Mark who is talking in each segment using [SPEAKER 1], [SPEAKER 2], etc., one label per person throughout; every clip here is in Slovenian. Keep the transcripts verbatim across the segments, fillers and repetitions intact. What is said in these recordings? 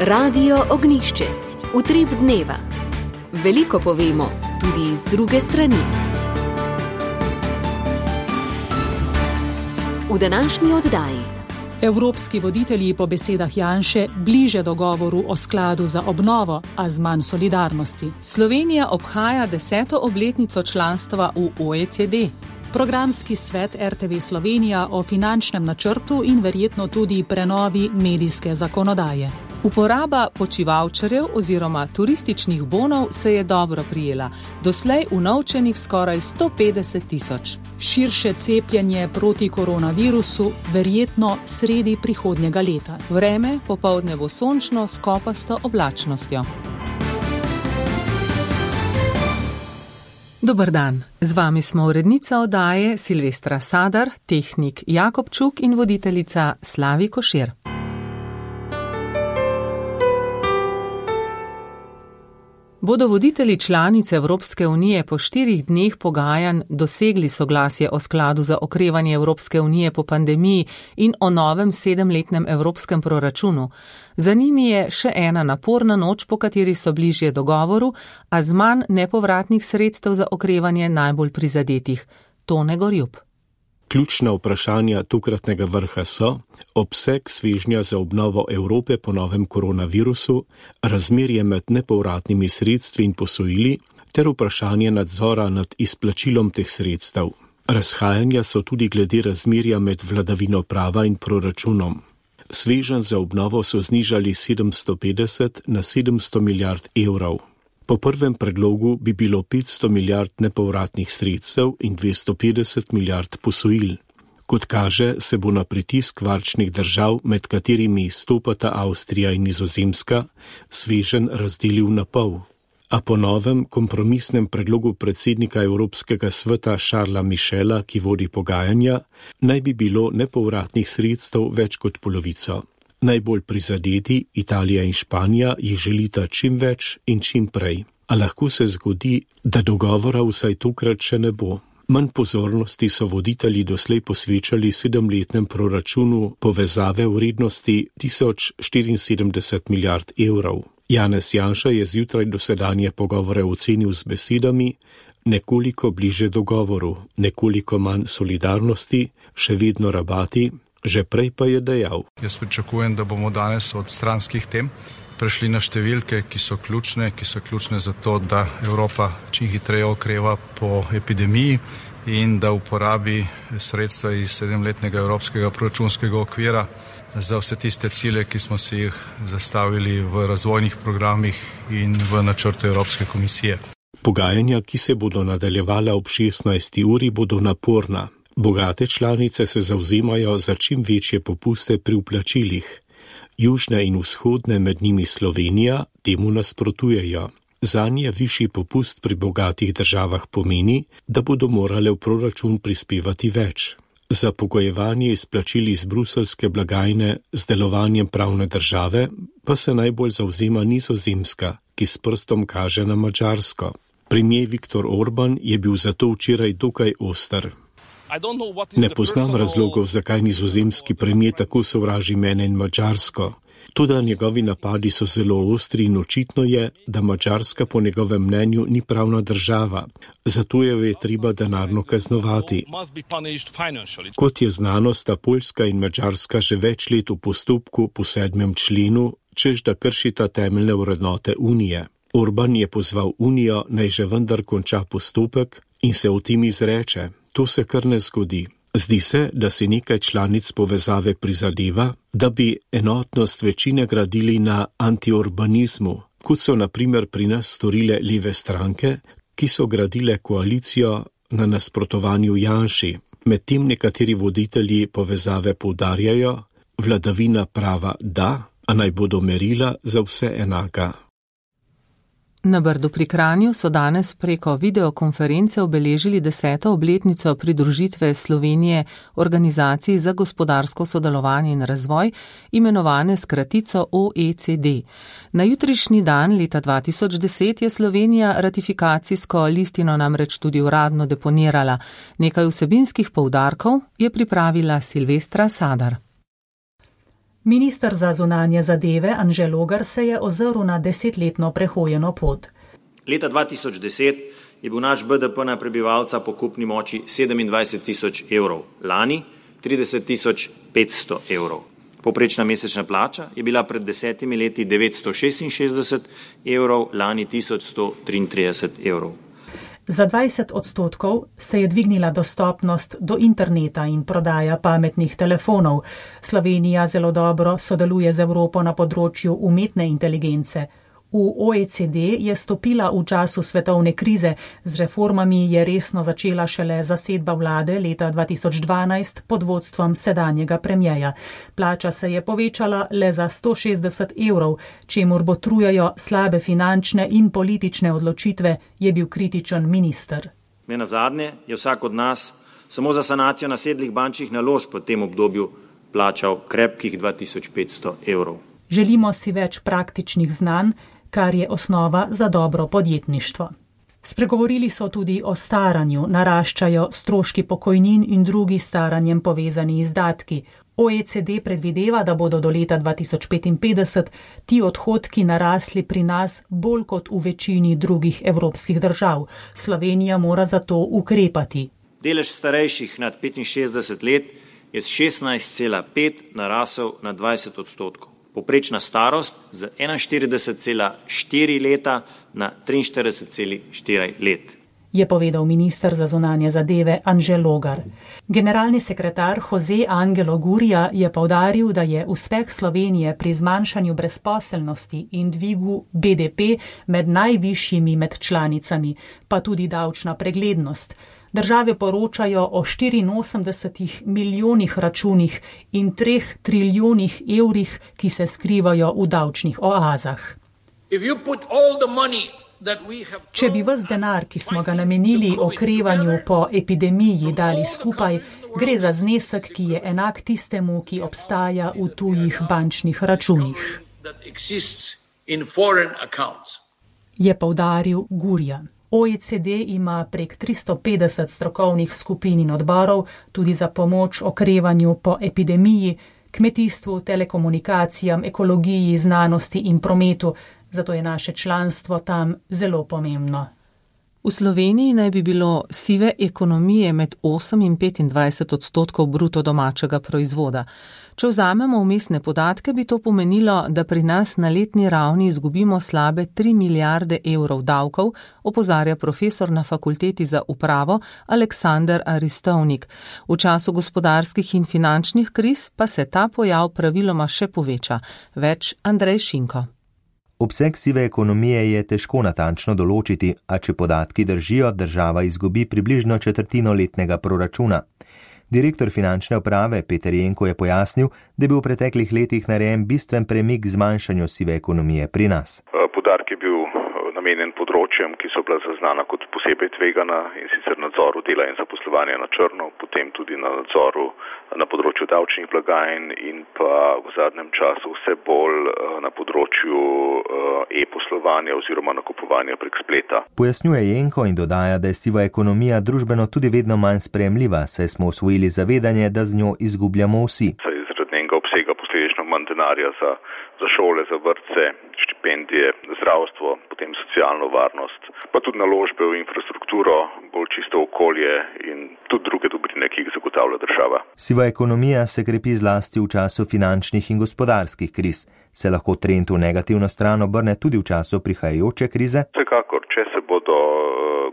[SPEAKER 1] Radio Ognišče, utrip dneva. Veliko povemo, tudi iz druge strani. V današnji oddaji.
[SPEAKER 2] Evropski voditelji po besedah Janše bliže dogovoru o skladu za obnovo, a z manj solidarnosti.
[SPEAKER 3] Slovenija obhaja deseto obletnico članstva v O E C D.
[SPEAKER 2] Programski svet R T V Slovenija o finančnem načrtu in verjetno tudi prenovi medijske zakonodaje.
[SPEAKER 3] Uporaba počivalčarjev oziroma turističnih bonov se je dobro prijela, doslej unovčenih skoraj sto petdeset tisoč.
[SPEAKER 2] Širše cepljenje proti koronavirusu verjetno sredi prihodnjega leta.
[SPEAKER 3] Vreme popoldne bo sončno s kopasto oblačnostjo. Dober dan, z vami smo urednica oddaje Silvestra Sadar, tehnik Jakob Čuk in voditeljica Slavi Košir. Bodo voditelji članice Evropske unije po štirih dneh pogajanj dosegli soglasje o skladu za okrevanje Evropske unije po pandemiji in o novem sedemletnem evropskem proračunu. Za njimi je še ena naporna noč, po kateri so bližje dogovoru, a z manj nepovratnih sredstev za okrevanje najbolj prizadetih. Tone Gorjup.
[SPEAKER 4] Ključna vprašanja tokratnega vrha so obseg svežnja za obnovo Evrope po novem koronavirusu, razmerje med nepovratnimi sredstvi in posojili ter vprašanje nadzora nad izplačilom teh sredstev. Razhajanja so tudi glede razmerja med vladavino prava in proračunom. Sveženj za obnovo so znižali sedemsto petdeset na sedemsto milijard evrov. Po prvem predlogu bi bilo petsto milijard nepovratnih sredstev in dvesto petdeset milijard posojil. Kot kaže, se bo na pritisk varčnih držav, med katerimi izstopata Avstrija in Nizozemska, sveženj razdelil na pol. A po novem kompromisnem predlogu predsednika Evropskega sveta Charlesa Michela, ki vodi pogajanja, naj bi bilo nepovratnih sredstev več kot polovico. Najbolj prizadeti, Italija in Španija, jih želita čim več in čim prej. A lahko se zgodi, da dogovora vsaj tokrat še ne bo. Manj pozornosti so voditelji doslej posvečali sedemletnem proračunu povezave v vrednosti tisoč štiriinsedemdeset milijard evrov. Janez Janša je zjutraj dosedanje pogovore ocenil z besedami: nekoliko bliže dogovoru, nekoliko manj solidarnosti, še vedno rabati. Že prej pa je dejal:
[SPEAKER 5] Jaz pričakujem, da bomo danes od stranskih tem prešli na številke, ki so ključne, ki so ključne za to, da Evropa čim hitreje okreva po epidemiji in da uporabi sredstva iz sedemletnega evropskega proračunskega okvira za vse tiste cilje, ki smo si jih zastavili v razvojnih programih in v načrtu Evropske komisije.
[SPEAKER 4] Pogajanja, ki se bodo nadaljevala ob šestnajsti uri, bodo naporna. Bogate članice se zavzemajo za čim večje popuste pri vplačilih. Južne in vzhodne, med njimi Slovenija, temu nasprotujejo. Zanje višji popust pri bogatih državah pomeni, da bodo morale v proračun prispevati več. Za pogojevanje izplačil iz bruseljske blagajne z delovanjem pravne države pa se najbolj zavzema Nizozemska, ki s prstom kaže na Madžarsko. Premier Viktor Orban je bil zato včeraj dokaj oster. Ne poznam razlogov, zakaj nizozemski premier tako sovraži mene in Madžarsko. Toda njegovi napadi so zelo ostri in očitno je, da Madžarska po njegovem mnenju ni pravna država, zato jo je treba denarno kaznovati. Kot je znano, sta Poljska in Madžarska že več let v postopku po sedmem členu, češ da kršita temeljne vrednote Unije. Orban je pozval Unijo, naj že vendar konča postopek in se o tem izreče. To se kar ne zgodi. Zdi se, da si nekaj članic povezave prizadeva, da bi enotnost večine gradili na antiurbanizmu, kot so na primer pri nas storile leve stranke, ki so gradile koalicijo na nasprotovanju Janši. Medtem nekateri voditelji povezave poudarjajo, vladavina prava da, a naj bodo merila za vse enaka.
[SPEAKER 3] Na Brdu pri Kranju so danes preko videokonference obeležili deseto obletnico pridružitve Slovenije Organizaciji za gospodarsko sodelovanje in razvoj, imenovane s kratico O E C D. Na jutrišnji dan leta dva tisoč deset je Slovenija ratifikacijsko listino namreč tudi uradno deponirala. Nekaj vsebinskih poudarkov je pripravila Silvestra Sadar.
[SPEAKER 2] Minister za zunanje zadeve Anže Logar se je ozrl na desetletno prehojeno pot.
[SPEAKER 6] Leta dva tisoč deset je bil naš B D P na prebivalca po kupni moči sedemindvajset tisoč evrov, lani trideset tisoč petsto evrov. Povprečna mesečna plača je bila pred desetimi leti devetsto šestinšestdeset evrov, lani tisoč sto triintrideset evrov.
[SPEAKER 2] Za dvajset odstotkov se je dvignila dostopnost do interneta in prodaja pametnih telefonov. Slovenija zelo dobro sodeluje z Evropo na področju umetne inteligence. V O E C D je stopila v času svetovne krize, z reformami je resno začela šele zasedba vlade leta dva tisoč dvanajst pod vodstvom sedanjega premierja. Plača se je povečala le za sto šestdeset evrov, čemur botrujejo slabe finančne in politične odločitve, je bil kritičen minister.
[SPEAKER 6] Nenazadnje je vsak od nas samo za sanacijo nasedlih bančnih naložb v tem obdobju plačal krepkih dva tisoč petsto evrov.
[SPEAKER 2] Želimo si več praktičnih znanj, kar je osnova za dobro podjetništvo. Spregovorili so tudi o staranju, naraščajo stroški pokojnin in drugi staranjem povezani izdatki. O E C D predvideva, da bodo do leta dva tisoč petinpetdeset ti odhodki narasli pri nas bolj kot v večini drugih evropskih držav. Slovenija mora zato ukrepati.
[SPEAKER 6] Delež starejših nad petinšestdeset let je s šestnajst cela pet narasel na dvajset odstotkov. Poprečna starost z enainštirideset cela štiri leta na triinštirideset cela štiri let.
[SPEAKER 2] Je povedal minister za zunanje zadeve Anže Logar. Generalni sekretar Jose Angelo Gurria je poudaril, da je uspeh Slovenije pri zmanjšanju brezposelnosti in dvigu B D P med najvišjimi med članicami, pa tudi davčna preglednost. Države poročajo o štiriinosemdesetih milijonih računih in treh trilijonih evrih, ki se skrivajo v davčnih oazah. Če bi ves denar, ki smo ga namenili okrevanju po epidemiji, dali skupaj, gre za znesek, ki je enak tistemu, ki obstaja v tujih bančnih računih, je poudaril Gurria. O E C D ima prek tristo petdeset strokovnih skupin in odborov tudi za pomoč okrevanju po epidemiji, kmetijstvu, telekomunikacijam, ekologiji, znanosti in prometu, zato je naše članstvo tam zelo pomembno.
[SPEAKER 3] V Sloveniji naj bi bilo sive ekonomije med osem in petindvajset odstotkov bruto domačega proizvoda. Če vzamemo vmesne podatke, bi to pomenilo, da pri nas na letni ravni izgubimo slabe tri milijarde evrov davkov, opozarja profesor na Fakulteti za upravo Aleksander Aristovnik. V času gospodarskih in finančnih kriz pa se ta pojav praviloma še poveča. Več Andrej Šinko.
[SPEAKER 7] Obseg sive ekonomije je težko natančno določiti, a če podatki držijo, država izgubi približno četrtino letnega proračuna. Direktor finančne uprave Peter Jenko je pojasnil, da je bil v preteklih letih narejen bistven premik k zmanjšanju sive ekonomije pri nas.
[SPEAKER 8] Poudarek je bil namenjen področjem, ki so bila zaznana kot posebej tvegana, in sicer nadzoru dela in zaposlovanja na črno, potem tudi na nadzoru na področju davčnih blagajn in pa v zadnjem času vse bolj na področju e-poslovanja oziroma nakupovanja prek spleta.
[SPEAKER 7] Pojasnjuje Jenko in dodaja, da je siva ekonomija družbeno tudi vedno manj sprejemljiva, saj smo osvojili zavedanje, da z njo izgubljamo vsi.
[SPEAKER 8] Zaradi njenega obsega posledično manj denarja za, za šole, za vrtce, štipendije, zdravstvo, potem socialno varnost, pa tudi naložbe v infrastrukturo, bolj čisto okolje in tudi druge dobrine, ki jih zagotavlja država.
[SPEAKER 7] Siva ekonomija se krepi zlasti v času finančnih in gospodarskih kriz. Se lahko trend v negativno stran obrne tudi v času prihajajoče krize?
[SPEAKER 8] Vsekakor, če se bodo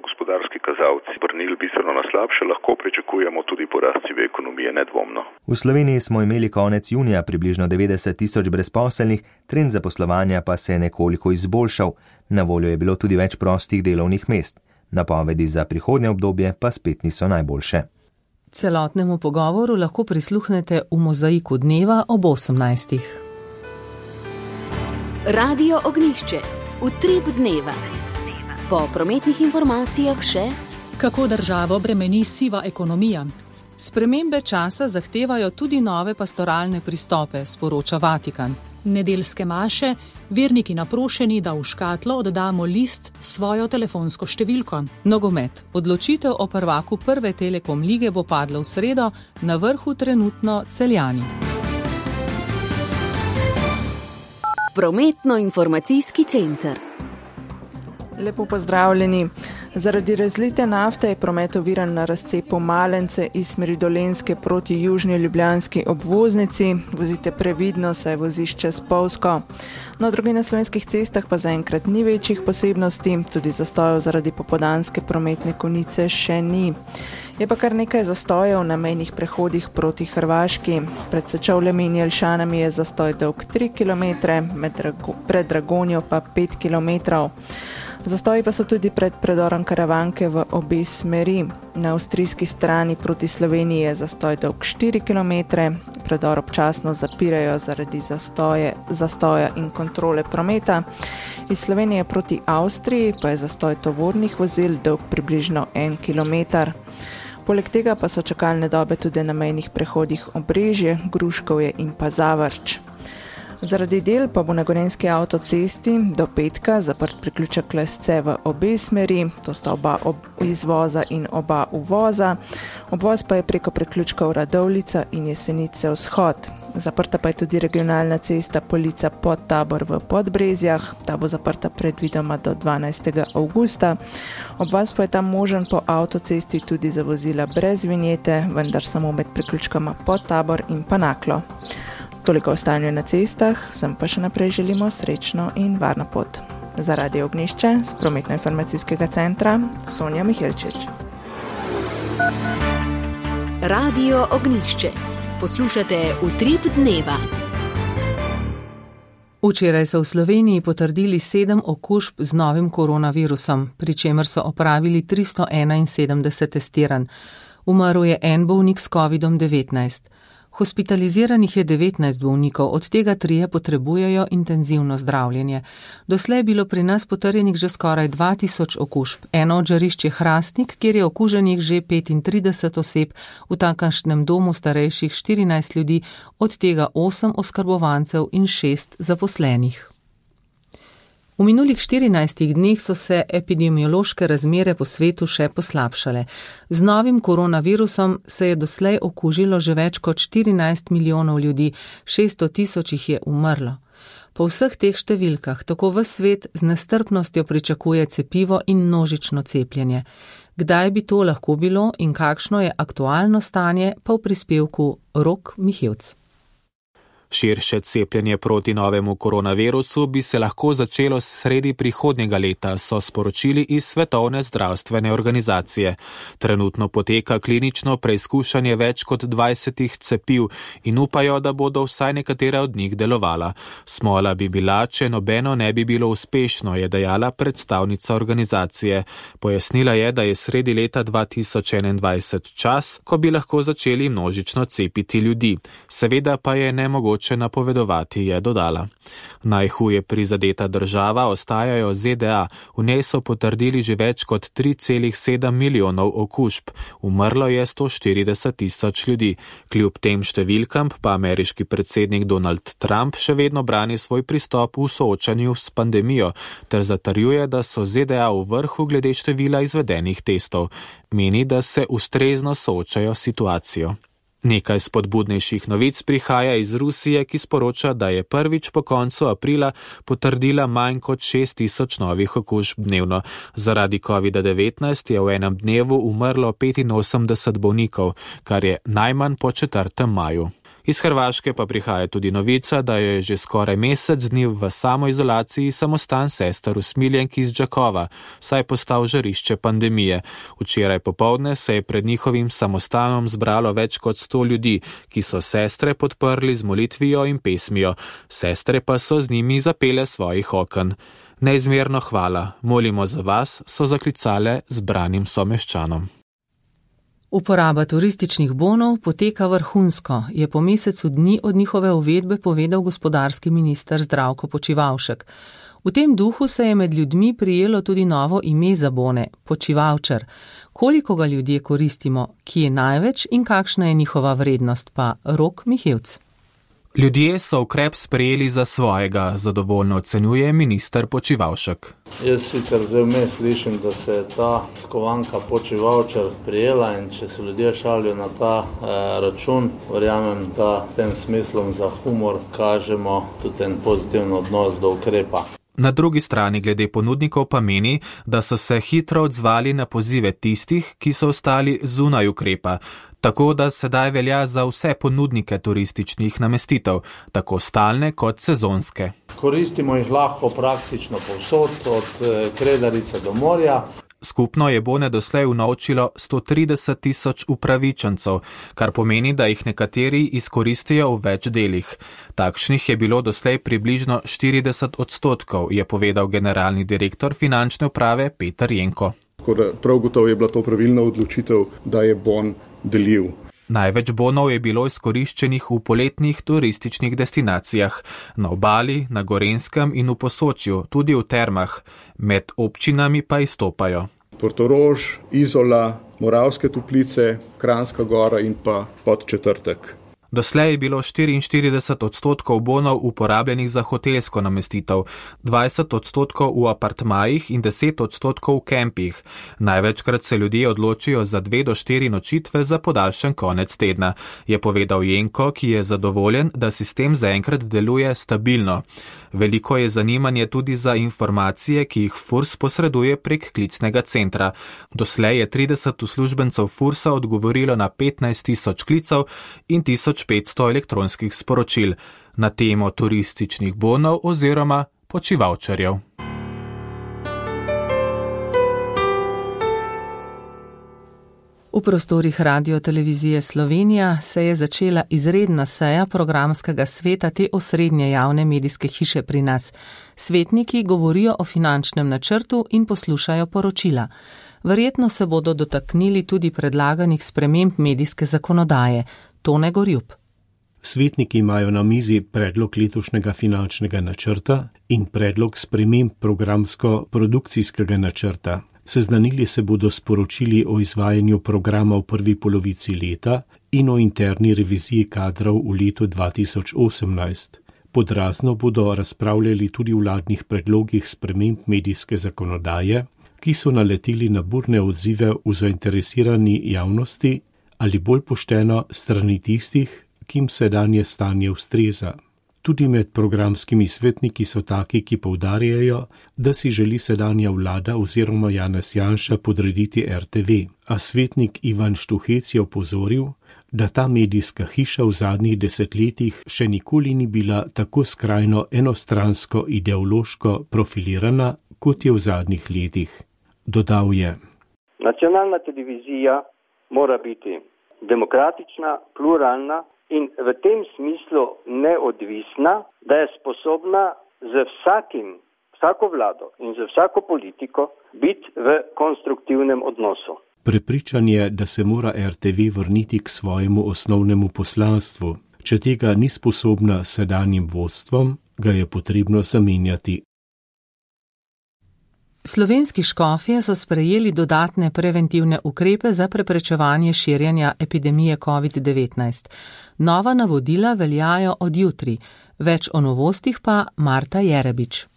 [SPEAKER 8] gospodarski kazalci obrnili bistveno na slabše, lahko pričakujemo tudi porast sive ekonomije, nedvomno.
[SPEAKER 7] V Sloveniji smo imeli konec junija približno devetdeset tisoč brezposelnih, trend zaposlovanja pa se je nekoliko izboljšal. Na voljo je bilo tudi več prostih delovnih mest. Napovedi za prihodnje obdobje pa spet niso najboljše.
[SPEAKER 3] Celotnemu pogovoru lahko prisluhnete v Mozaiku dneva ob osemnajstih.
[SPEAKER 1] Radio Ognjišče. Utrip dneva. Po prometnih informacijah še,
[SPEAKER 2] kako državo bremeni siva ekonomija.
[SPEAKER 3] Spremembe časa zahtevajo tudi nove pastoralne pristope, sporoča Vatikan.
[SPEAKER 2] Nedeljske maše, verniki naprošeni, da v škatlo oddamo list svojo telefonsko številko.
[SPEAKER 3] Nogomet. Odločitev o prvaku prve Telekom lige bo padla v sredo, na vrhu trenutno Celjani.
[SPEAKER 1] Prometno-informacijski center.
[SPEAKER 9] Lepo pozdravljeni. Zaradi razlite nafte je promet oviran na razcepu Malence iz smeri Dolenjske proti južni ljubljanski obvoznici. Vozite previdno, saj vozišče spolzko. Na drugi na slovenskih cestah pa zaenkrat ni večjih posebnosti, tudi zastojev zaradi popoldanske prometne konice še ni. Je pa kar nekaj zastojev na mejnih prehodih proti Hrvaški. Pred Sečovljami in Jelšanami je zastoj dolg tri kilometre, pred Dragonjo pa pet kilometrov. Zastoji pa so tudi pred predorom Karavanke v obe smeri. Na avstrijski strani proti Sloveniji je zastoj dolg štiri kilometre, predor občasno zapirajo zaradi zastoje, zastoja in kontrole prometa. Iz Slovenije proti Avstriji pa je zastoj tovornih vozil dolg približno en kilometer. Poleg tega pa so čakalne dobe tudi na mejnih prehodih Obrežje, Gruškovje in pa Zavrč. Zaradi del pa bo na Gorenjski avtocesti do petka zaprt priključek Lesce v obe smeri, to sta oba ob izvoza in oba uvoza. Obvoz pa je preko priključkov Radovljica in Jesenice vzhod. Zaprta pa je tudi regionalna cesta Polica Podtabor v Podbrezjah, ta bo zaprta predvidoma do dvanajstega avgusta. Obvoz pa je tam možen po avtocesti tudi za vozila brez vinjete, vendar samo med priključkama Podtabor in pa Naklo. Toliko o stanju na cestah, vsem pa še naprej želimo srečno in varno pot. Za Radio Ognjišče z Prometno-informacijskega centra Sonja Mihelčič.
[SPEAKER 1] Radio Ognjišče. Poslušate Utrip dneva.
[SPEAKER 3] Včeraj so v Sloveniji potrdili sedem okužb z novim koronavirusom, pri čemer so opravili tristo enainsedemdeset testiranj. Umrl je en bolnik s kovidom devetnajst. Hospitaliziranih je devetnajst bolnikov, od tega trije potrebujejo intenzivno zdravljenje. Doslej je bilo pri nas potrjenih že skoraj dva tisoč okužb. Eno od žarišč je Hrastnik, kjer je okuženih že petintrideset oseb, v tamkajšnjem domu starejših štirinajst ljudi, od tega osem oskrbovancev in šest zaposlenih. V minulih štirinajstih dneh so se epidemiološke razmere po svetu še poslabšale. Z novim koronavirusom se je doslej okužilo že več kot štirinajst milijonov ljudi, šeststo tisoč jih je umrlo. Po vseh teh številkah tako ves svet z nestrpnostjo pričakuje cepivo in množično cepljenje. Kdaj bi to lahko bilo in kakšno je aktualno stanje, pa v prispevku Rok Mihevc.
[SPEAKER 10] Širše cepljenje proti novemu koronavirusu bi se lahko začelo sredi prihodnjega leta, so sporočili iz Svetovne zdravstvene organizacije. Trenutno poteka klinično preizkušanje več kot dvajsetih cepiv in upajo, da bodo vsaj nekatera od njih delovala. Smola bi bila, če nobeno ne bi bilo uspešno, je dejala predstavnica organizacije. Pojasnila je, da je sredi leta dva tisoč enaindvajset čas, ko bi lahko začeli množično cepiti ljudi. Seveda pa je nemogoče napovedovati, je dodala. Najhuje prizadeta država ostajajo Z D A, v njej so potrdili že več kot tri celih sedem milijonov okužb. Umrlo je sto štirideset tisoč ljudi. Kljub tem številkam pa ameriški predsednik Donald Trump še vedno brani svoj pristop v soočanju s pandemijo, ter zatrjuje, da so Z D A v vrhu glede števila izvedenih testov. Meni, da se ustrezno soočajo s situacijo. Nekaj spodbudnejših novic prihaja iz Rusije, ki sporoča, da je prvič po koncu aprila potrdila manj kot šest tisoč novih okužb dnevno. Zaradi kovida devetnajst je v enem dnevu umrlo petinosemdeset bolnikov, kar je najmanj po četrtem maju. Iz Hrvaške pa prihaja tudi novica, da je že skoraj mesec dni v samoizolaciji samostan sester usmiljenk iz Đakova, saj je postal žarišče pandemije. Včeraj popoldne se je pred njihovim samostanom zbralo več kot sto ljudi, ki so sestre podprli z molitvijo in pesmijo. Sestre pa so z njimi zapele svojih oken. Neizmerno hvala, molimo za vas, so zaklicale zbranim someščanom.
[SPEAKER 3] Uporaba turističnih bonov poteka vrhunsko, je po mesecu dni od njihove uvedbe povedal gospodarski minister Zdravko Počivalšek. V tem duhu se je med ljudmi prijelo tudi novo ime za bone, Počivalčer. Koliko ga ljudje koristimo, ki je največ in kakšna je njihova vrednost, pa Rok Mihevc.
[SPEAKER 10] Ljudje so ukrep sprejeli za svojega, zadovoljno ocenjuje minister Počivalšek.
[SPEAKER 11] Jaz sicer zdaj vmes slišim, da se je ta skovanka Počivalčar prijela in če se ljudje šalijo na ta eh, račun, verjamem, da tem smislom za humor kažemo tudi en pozitiven odnos do ukrepa.
[SPEAKER 10] Na drugi strani glede ponudnikov pa meni, da so se hitro odzvali na pozive tistih, ki so ostali zunaj ukrepa, tako da sedaj velja za vse ponudnike turističnih namestitev, tako stalne kot sezonske.
[SPEAKER 11] Koristimo jih lahko praktično povsod, od Kredarice do morja.
[SPEAKER 10] Skupno je bone doslej unovčilo sto trideset tisoč upravičencev, kar pomeni, da jih nekateri izkoristijo v več delih. Takšnih je bilo doslej približno štirideset odstotkov, je povedal generalni direktor finančne uprave Peter Jenko.
[SPEAKER 12] Prav gotovo je bila to pravilna odločitev, da je bon delil.
[SPEAKER 10] Največ bonov je bilo izkoriščenih v poletnih turističnih destinacijah, na obali, na Gorenjskem in v Posočju, tudi v termah, med občinami pa izstopajo.
[SPEAKER 12] Portorož, Izola, Moravske Toplice, Kranjska Gora in pa Podčetrtek.
[SPEAKER 10] Doslej je bilo štiriinštirideset odstotkov bonov uporabljenih za hotelsko namestitev, dvajset odstotkov v apartmajih in deset odstotkov v kempih. Največkrat se ljudje odločijo za dve do štiri nočitve za podaljšan konec tedna, je povedal Jenko, ki je zadovoljen, da sistem zaenkrat deluje stabilno. Veliko je zanimanje tudi za informacije, ki jih Furs posreduje prek klicnega centra. Doslej je trideset uslužbencev Fursa odgovorilo na petnajst tisoč klicev in tisoč petsto elektronskih sporočil na temo turističnih bonov oziroma počivalčarjev.
[SPEAKER 3] V prostorih Radio-televizije Slovenija se je začela izredna seja programskega sveta te osrednje javne medijske hiše pri nas. Svetniki govorijo o finančnem načrtu in poslušajo poročila. Verjetno se bodo dotaknili tudi predlaganih sprememb medijske zakonodaje. Tone Gorjup.
[SPEAKER 4] Svetniki imajo na mizi predlog letošnjega finančnega načrta in predlog sprememb programsko-produkcijskega načrta. Seznanili se bodo sporočili o izvajanju programa v prvi polovici leta in o interni reviziji kadrov v letu dva tisoč osemnajst. Podrazno bodo razpravljali tudi o vladnih predlogih sprememb medijske zakonodaje, ki so naleteli na burne odzive v zainteresirani javnosti ali bolj pošteno strani tistih, kim sedanje stanje ustreza. Tudi med programskimi svetniki so taki, ki poudarjajo, da si želi sedanja vlada oziroma Janez Janša podrediti R T V, a svetnik Ivan Štuhec je opozoril, da ta medijska hiša v zadnjih desetletjih še nikoli ni bila tako skrajno enostransko ideološko profilirana, kot je v zadnjih letih. Dodal je:
[SPEAKER 13] Nacionalna televizija mora biti demokratična, pluralna in v tem smislu neodvisna, da je sposobna z vsakim, vsako vlado in z vsako politiko biti v konstruktivnem odnosu.
[SPEAKER 4] Prepričan je, da se mora R T V vrniti k svojemu osnovnemu poslanstvu. Če tega ni sposobna s sedanjim vodstvom, ga je potrebno zamenjati.
[SPEAKER 3] Slovenski škofje so sprejeli dodatne preventivne ukrepe za preprečevanje širjenja epidemije covid devetnajst. Nova navodila veljajo od jutri. Več o novostih pa Marta Jerebič.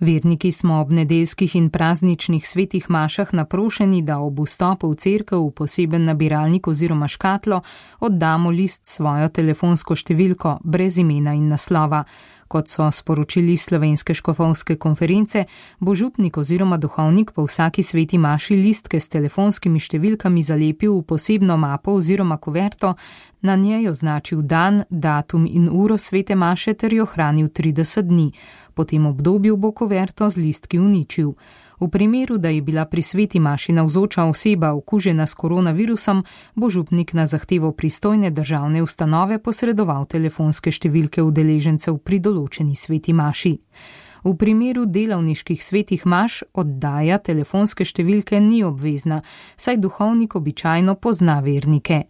[SPEAKER 2] Verniki smo ob nedeljskih in prazničnih svetih mašah naprošeni, da ob vstopu v cerkev v poseben nabiralnik oziroma škatlo oddamo list svojo telefonsko številko brez imena in naslova. Kot so sporočili Slovenske škofovske konference, bo župnik oziroma duhovnik po vsaki sveti maši listke s telefonskimi številkami zalepil v posebno mapo oziroma kuverto, na njej označil dan, datum in uro svete maše ter jo hranil trideset dni. Po tem obdobju bo kuverto z listki uničil. V primeru, da je bila pri sveti maši navzoča oseba okužena s koronavirusom, bo župnik na zahtevo pristojne državne ustanove posredoval telefonske številke udeležencev pri določeni sveti maši. V primeru delavniških svetih maš oddaja telefonske številke ni obvezna, saj duhovnik običajno pozna vernike.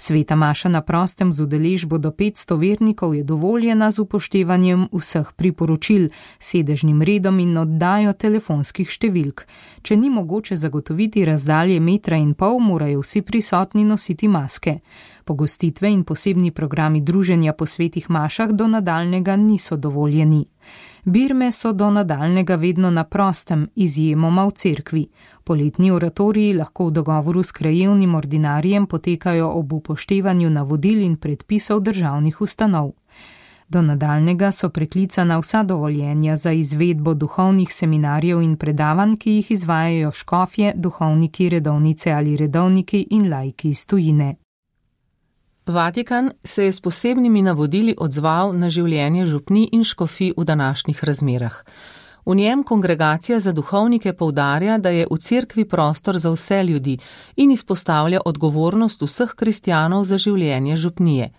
[SPEAKER 2] Sveta maša na prostem z udeležbo do petsto vernikov je dovoljena z upoštevanjem vseh priporočil, sedežnim redom in oddajo telefonskih številk. Če ni mogoče zagotoviti razdalje metra in pol, morajo vsi prisotni nositi maske.
[SPEAKER 14] Pogostitve in posebni programi druženja po svetih mašah do nadaljnega niso dovoljeni. Birme so do nadaljnega vedno na prostem, izjemoma v cerkvi. Poletni oratoriji lahko v dogovoru s krajevnim ordinarijem potekajo ob upoštevanju navodil in predpisov državnih ustanov. Do nadaljnega so preklicana vsa dovoljenja za izvedbo duhovnih seminarjev in predavanj, ki jih izvajajo škofje, duhovniki, redovnice ali redovniki in laiki iz tujine.
[SPEAKER 3] Vatikan se je s posebnimi navodili odzval na življenje župnij in škofij v današnjih razmerah. V njem kongregacija za duhovnike poudarja, da je v cerkvi prostor za vse ljudi in izpostavlja odgovornost vseh kristjanov za življenje župnije.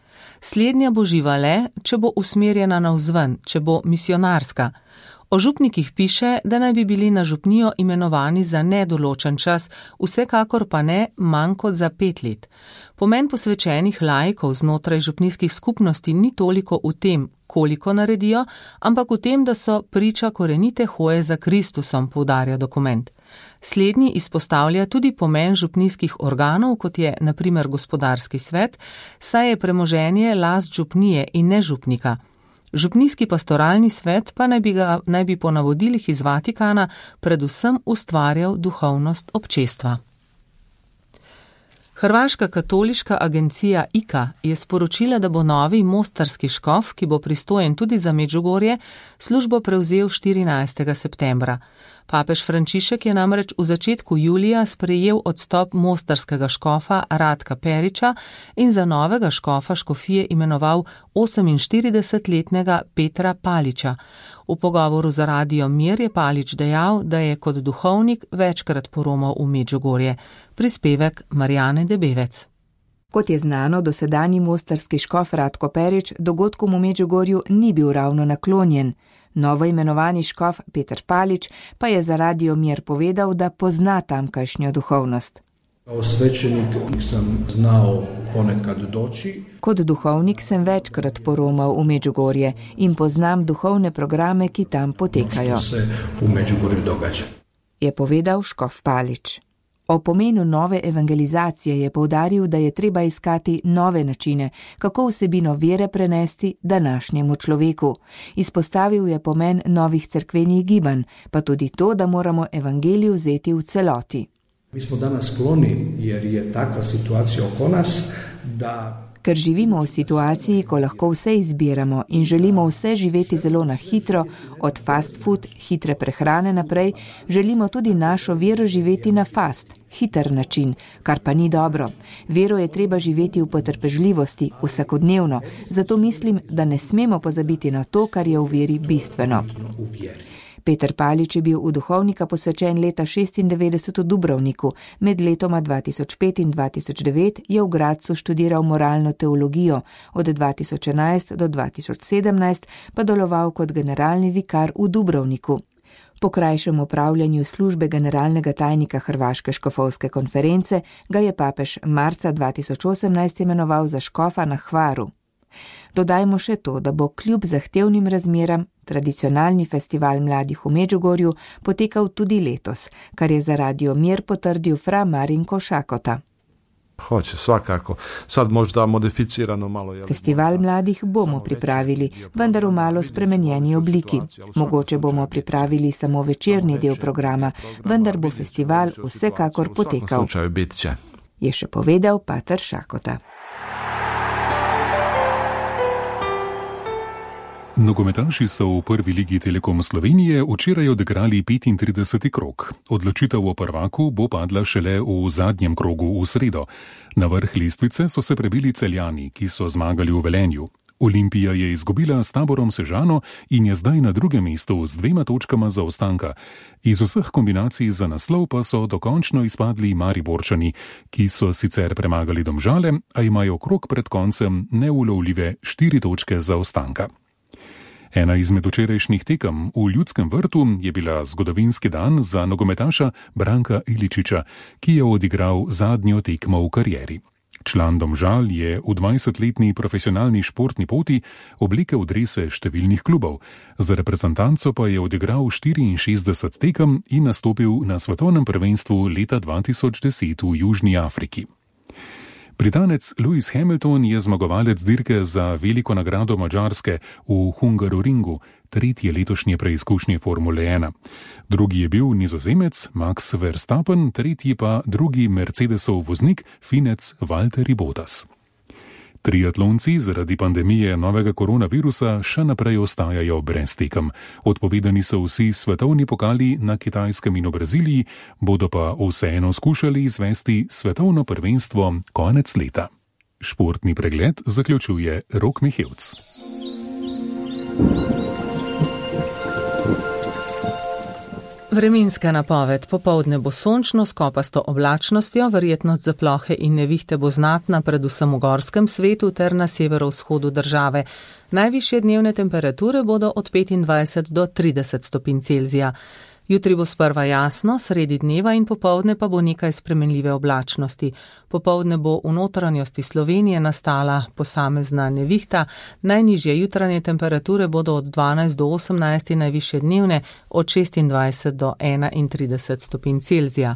[SPEAKER 3] Slednja bo živa le, če bo usmerjena navzven, če bo misionarska. O župnikih piše, da naj bi bili na župnijo imenovani za nedoločen čas, vsekakor pa ne manj kot za pet let. Pomen posvečenih laikov znotraj župnijskih skupnosti ni toliko v tem, koliko naredijo, ampak v tem, da so priča korenite hoje za Kristusom, poudarja dokument. Slednji izpostavlja tudi pomen župnijskih organov, kot je na primer gospodarski svet, saj je premoženje last župnije in ne župnika. Župnijski pastoralni svet pa naj bi, ga, naj bi po navodilih iz Vatikana predvsem ustvarjal duhovnost občestva. Hrvaška katoliška agencija I K A je sporočila, da bo novi mostarski škof, ki bo pristojen tudi za Medžugorje, službo prevzel štirinajstega septembra. Papež Frančišek je namreč v začetku julija sprejel odstop mostarskega škofa Ratka Periča in za novega škofa škofije imenoval oseminštiridesetletnega Petra Paliča. V pogovoru za Radio Mir je Palič dejal, da je kot duhovnik večkrat poromal v Medžugorje. Prispevek Marjane Debevec.
[SPEAKER 15] Kot je znano, dosedanji mostarski škof Ratko Perič dogodkom v Medžugorju ni bil ravno naklonjen. Novo imenovani škof Peter Palič pa je za Radio Mir povedal, da pozna tamkajšnjo duhovnost.
[SPEAKER 16] Kao svećenik sam znao ponekad doći.
[SPEAKER 15] Kot duhovnik sem večkrat poromal v Medžugorje in poznam duhovne programe, ki tam potekajo.
[SPEAKER 16] Se v Medžugorju događa.
[SPEAKER 15] Je povedal škof Palič. O pomenu nove evangelizacije je poudaril, da je treba iskati nove načine, kako vsebino vere prenesti današnjemu človeku. Izpostavil je pomen novih cerkvenih gibanj, pa tudi to, da moramo evangelij vzeti v celoti.
[SPEAKER 16] Mi smo danas skloni, jer je takva situacija oko nas, da...
[SPEAKER 15] Ker živimo v situaciji, ko lahko vse izbiramo in želimo vse živeti zelo na hitro, od fast food, hitre prehrane naprej, želimo tudi našo vero živeti na fast, hiter način, kar pa ni dobro. Vero je treba živeti v potrpežljivosti, vsakodnevno, zato mislim, da ne smemo pozabiti na to, kar je v veri bistveno. Peter Palič je bil v duhovnika posvečen leta šestindevetdeset v Dubrovniku, med letoma dva tisoč pet in dva tisoč devet je v Gradcu študiral moralno teologijo, od dva tisoč enajst do dva tisoč sedemnajst pa deloval kot generalni vikar v Dubrovniku. Po krajšem opravljanju službe generalnega tajnika Hrvaške škofovske konference ga je papež marca dva tisoč osemnajst imenoval za škofa na Hvaru. Dodajmo še to, da bo kljub zahtevnim razmeram tradicionalni festival mladih v Medžugorju potekal tudi letos, kar je za Radio Mir potrdil fra Marinko Šakota.
[SPEAKER 17] Hoće, svakako. Sad možda modificirano malo. Jel,
[SPEAKER 15] Festival mladih bomo pripravili, vendar v malo spremenjeni obliki. Mogoče bomo pripravili samo večerni del programa, vendar bo festival vsekakor potekal. Je še povedal pater Šakota.
[SPEAKER 18] Nogometaši so v prvi ligi Telekom Slovenije včeraj odigrali petintrideseti krog. Odločitev o prvaku bo padla šele v zadnjem krogu v sredo. Na vrh lestvice so se prebili Celjani, ki so zmagali v Velenju. Olimpija je izgubila s Taborom Sežano in je zdaj na drugem mestu z dvema točkama zaostanka. Iz vseh kombinacij za naslov pa so dokončno izpadli Mariborčani, ki so sicer premagali Domžale, a imajo krog pred koncem neulovljive štiri točke zaostanka. Ena izmed včerajšnjih tekem v Ljudskem vrtu je bila zgodovinski dan za nogometaša Branka Iličiča, ki je odigral zadnjo tekmo v karieri. Član Domžal je v dvajsetletni profesionalni športni poti oblekel drese številnih klubov. Za reprezentanco pa je odigral štiriinšestdeset tekem in nastopil na svetovnem prvenstvu leta dva tisoč deset v Južni Afriki. Britanec Lewis Hamilton je zmagovalec dirke za veliko nagrado Madžarske v Hungaroringu, tretje letošnje preizkušnje Formule ena. Drugi je bil Nizozemec Max Verstappen, tretji pa drugi Mercedesov voznik finec Valtteri Bottas. Triatlonci zaradi pandemije novega koronavirusa še naprej ostajajo brez tekem. Odpovedani so vsi svetovni pokali na Kitajskem in v Braziliji, bodo pa vseeno skušali izvesti svetovno prvenstvo konec leta. Športni pregled zaključuje Rok Mihevc.
[SPEAKER 3] Vremenska napoved. Popoldne bo sončno s kopasto oblačnostjo, verjetnost za plohe in nevihte bo znatna predvsem v gorskem svetu ter na severovzhodu države. Najvišje dnevne temperature bodo od petindvajset do trideset stopinj Celzija. Jutri bo sprva jasno, sredi dneva in popoldne pa bo nekaj spremenljive oblačnosti. Popoldne bo v notranjosti Slovenije nastala posamezna nevihta, najnižje jutranje temperature bodo od dvanajst do osemnajst, najvišje dnevne od šestindvajset do enaintrideset stopinj Celzija.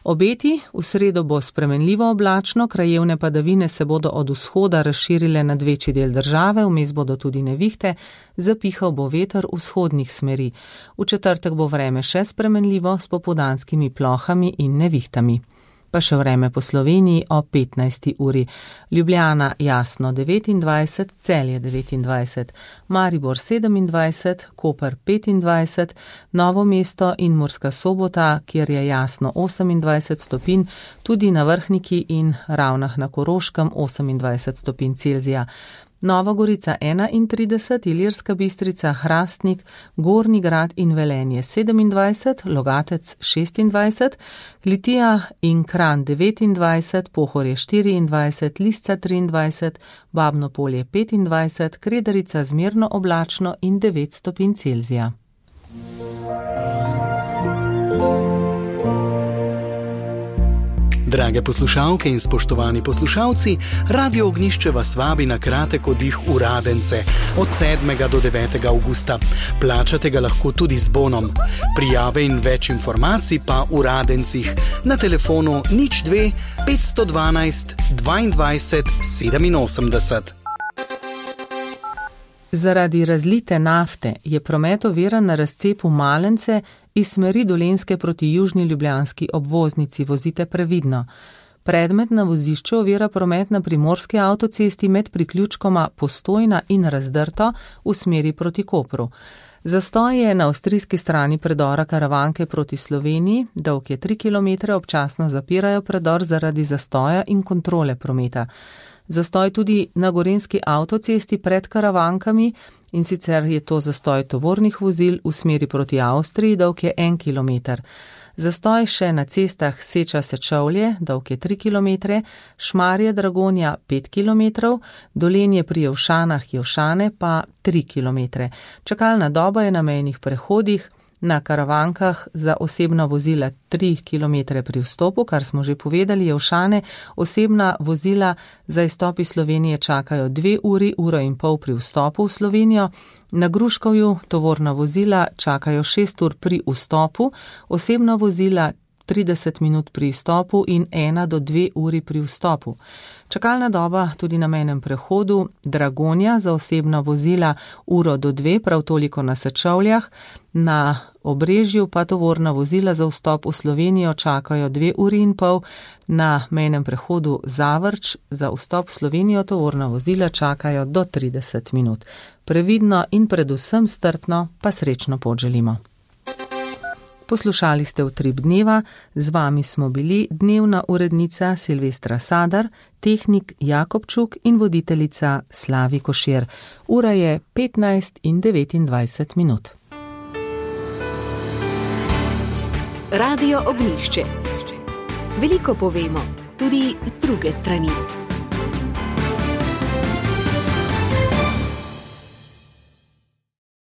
[SPEAKER 3] Obeti, v sredo bo spremenljivo oblačno, krajevne padavine se bodo od vzhoda razširile nad večji del države, vmes bodo tudi nevihte, zapihal bo veter vzhodnih smeri. V četrtek bo vreme še spremenljivo s popoldanskimi plohami in nevihtami. Pa še vreme po Sloveniji o petnajsti uri. Ljubljana jasno devetindvajset, Celje devetindvajset, Maribor sedemindvajset, Koper petindvajset, Novo mesto in Murska Sobota, kjer je jasno osemindvajset stopinj, tudi na Vrhniki in Ravnah na Koroškem osemindvajset stopinj Celzija. Nova Gorica enaintrideset, Ilirska Bistrica, Hrastnik, Gornji Grad in Velenje sedemindvajset, Logatec šestindvajset, Litija in Kranj devetindvajset, Pohorje štiriindvajset, Lisca triindvajset, Babno Polje petindvajset, Kredarica zmerno oblačno in devet stopinj Celzija.
[SPEAKER 19] Drage poslušalke in spoštovani poslušalci, Radio Ognjišče vas vabi na kratek oddih v Radence od sedmega do devetega avgusta. Plačate ga lahko tudi z bonom. Prijave in več informacij pa v Radencih na telefonu nič dve petsto dvanajst dvaindvajset sedeminosemdeset.
[SPEAKER 3] Zaradi razlite nafte je promet oviran na razcepu Malence iz smeri Dolenjske proti južni ljubljanski obvoznici. Vozite previdno. Predmet na vozišču ovira promet na primorski avtocesti med priključkoma Postojna in Razdrto v smeri proti Kopru. Zastoj je na avstrijski strani predora Karavanke proti Sloveniji, dolg je tri kilometre, občasno zapirajo predor zaradi zastoja in kontrole prometa. Zastoj tudi na gorenjski avtocesti pred Karavankami, in sicer je to zastoj tovornih vozil v smeri proti Avstriji, dolg je en kilometer. Zastoj še na cestah Seča-Sečovlje, dolg je tri kilometre, Šmarje-Dragonja pet kilometrov, Dolenje pri Jevšanah Jevšane pa tri kilometre. Čakalna doba je na mejnih prehodih, na Karavankah za osebna vozila tri kilometre pri vstopu, kar smo že povedali, Jevšane, osebna vozila za izstop iz Slovenije čakajo dve uri, uro in pol pri vstopu v Slovenijo, na Gruškovju tovorna vozila čakajo šest ur pri vstopu, osebna vozila trideset minut pri izstopu in ena do dve uri pri vstopu. Čakalna doba tudi na mejnem prehodu Dragonja za osebna vozila uro do dve, prav toliko na Sečovljah, na Obrežju pa tovorna vozila za vstop v Slovenijo čakajo dve uri in pol, na mejnem prehodu Zavrč za vstop v Slovenijo tovorna vozila čakajo do trideset minut. Previdno in predvsem strpno pa srečno pot želimo. Poslušali ste Utrip dneva, z vami smo bili dnevna urednica Silvestra Sadar, tehnik Jakobčuk in voditeljica Slavi Košir. Ura je petnajst in devetindvajset minut.
[SPEAKER 1] Radio Ognjišče. Veliko povemo, tudi z druge strani.